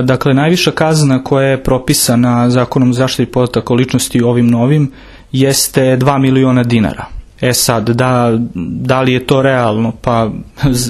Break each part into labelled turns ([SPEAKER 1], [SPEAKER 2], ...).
[SPEAKER 1] Dakle, najviša kazna koja je propisana Zakonom o zaštiti podataka o ličnosti ovim novim jeste 2 miliona dinara. Sad, da li je to realno? Pa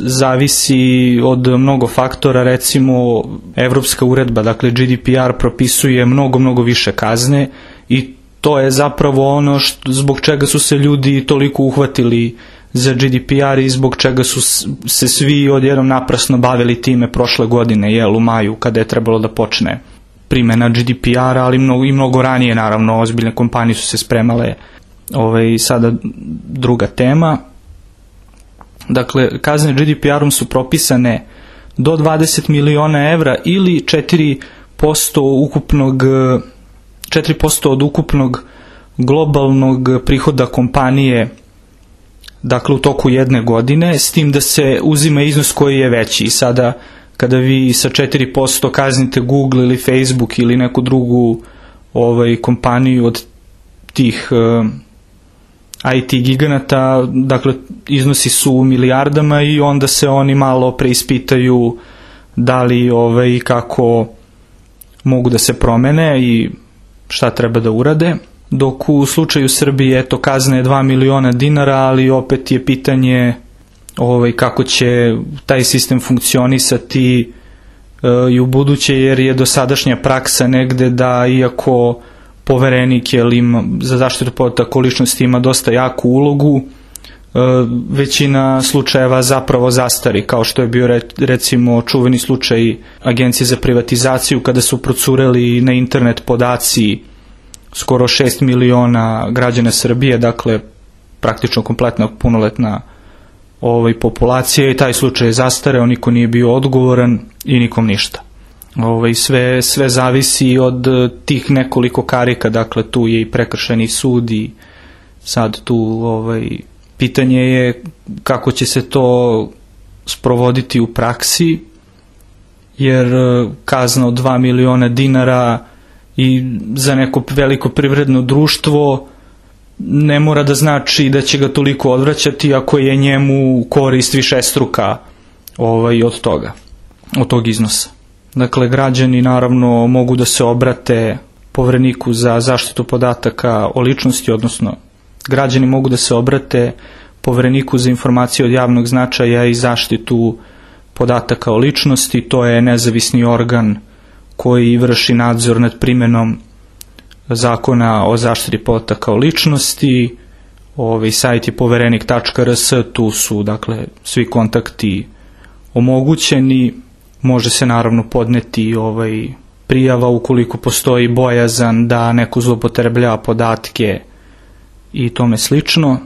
[SPEAKER 1] zavisi od mnogo faktora, recimo evropska uredba, dakle GDPR propisuje mnogo više kazne i to je zapravo ono zbog čega su se ljudi toliko uhvatili za GDPR i zbog čega su se svi odjednom naprasno bavili time prošle godine, u maju, kada je trebalo da počne primena GDPR, ali mnogo ranije, naravno, ozbiljne kompanije su se spremale. Sada druga tema. Dakle, kazne GDPR-om su propisane do 20 miliona evra ili 4% od ukupnog globalnog prihoda kompanije, dakle u toku jedne godine, s tim da se uzima iznos koji je veći. I sada kada vi sa 4% kaznite Google ili Facebook ili neku drugu kompaniju od tih IT giganata, dakle iznosi su u milijardama i onda se oni malo preispitaju da li i kako mogu da se promene i šta treba da urade. Dok u slučaju Srbije, kazna je 2 miliona dinara, ali opet je pitanje kako će taj sistem funkcionisati i u buduće, jer je dosadašnja praksa negde da, iako Poverenik za zaštitu podataka o ličnosti ima dosta jaku ulogu, većina slučajeva zapravo zastari, kao što je bio recimo čuveni slučaj Agencije za privatizaciju kada su procureli na internet podaci skoro 6 miliona građana Srbije, dakle praktično kompletna punoletna populacija, i taj slučaj je zastareo, niko nije bio odgovoran i nikom ništa. Sve zavisi od tih nekoliko karika, dakle tu je i prekršajni sud i sad tu pitanje je kako će se to sprovoditi u praksi, jer kazna od 2 miliona dinara i za neko veliko privredno društvo ne mora da znači da će ga toliko odvraćati ako je njemu korist višestruka od toga, od tog iznosa. Dakle, građani naravno mogu da se obrate Povereniku za zaštitu podataka o ličnosti, odnosno građani mogu da se obrate Povereniku za informacije od javnog značaja i zaštitu podataka o ličnosti. To je nezavisni organ koji vrši nadzor nad primenom Zakona o zaštiti podataka o ličnosti. Sajt je poverenik.rs, tu su dakle svi kontakti omogućeni. Može se naravno podneti prijava ukoliko postoji bojazan da neko zloupotrebljava podatke i tome slično.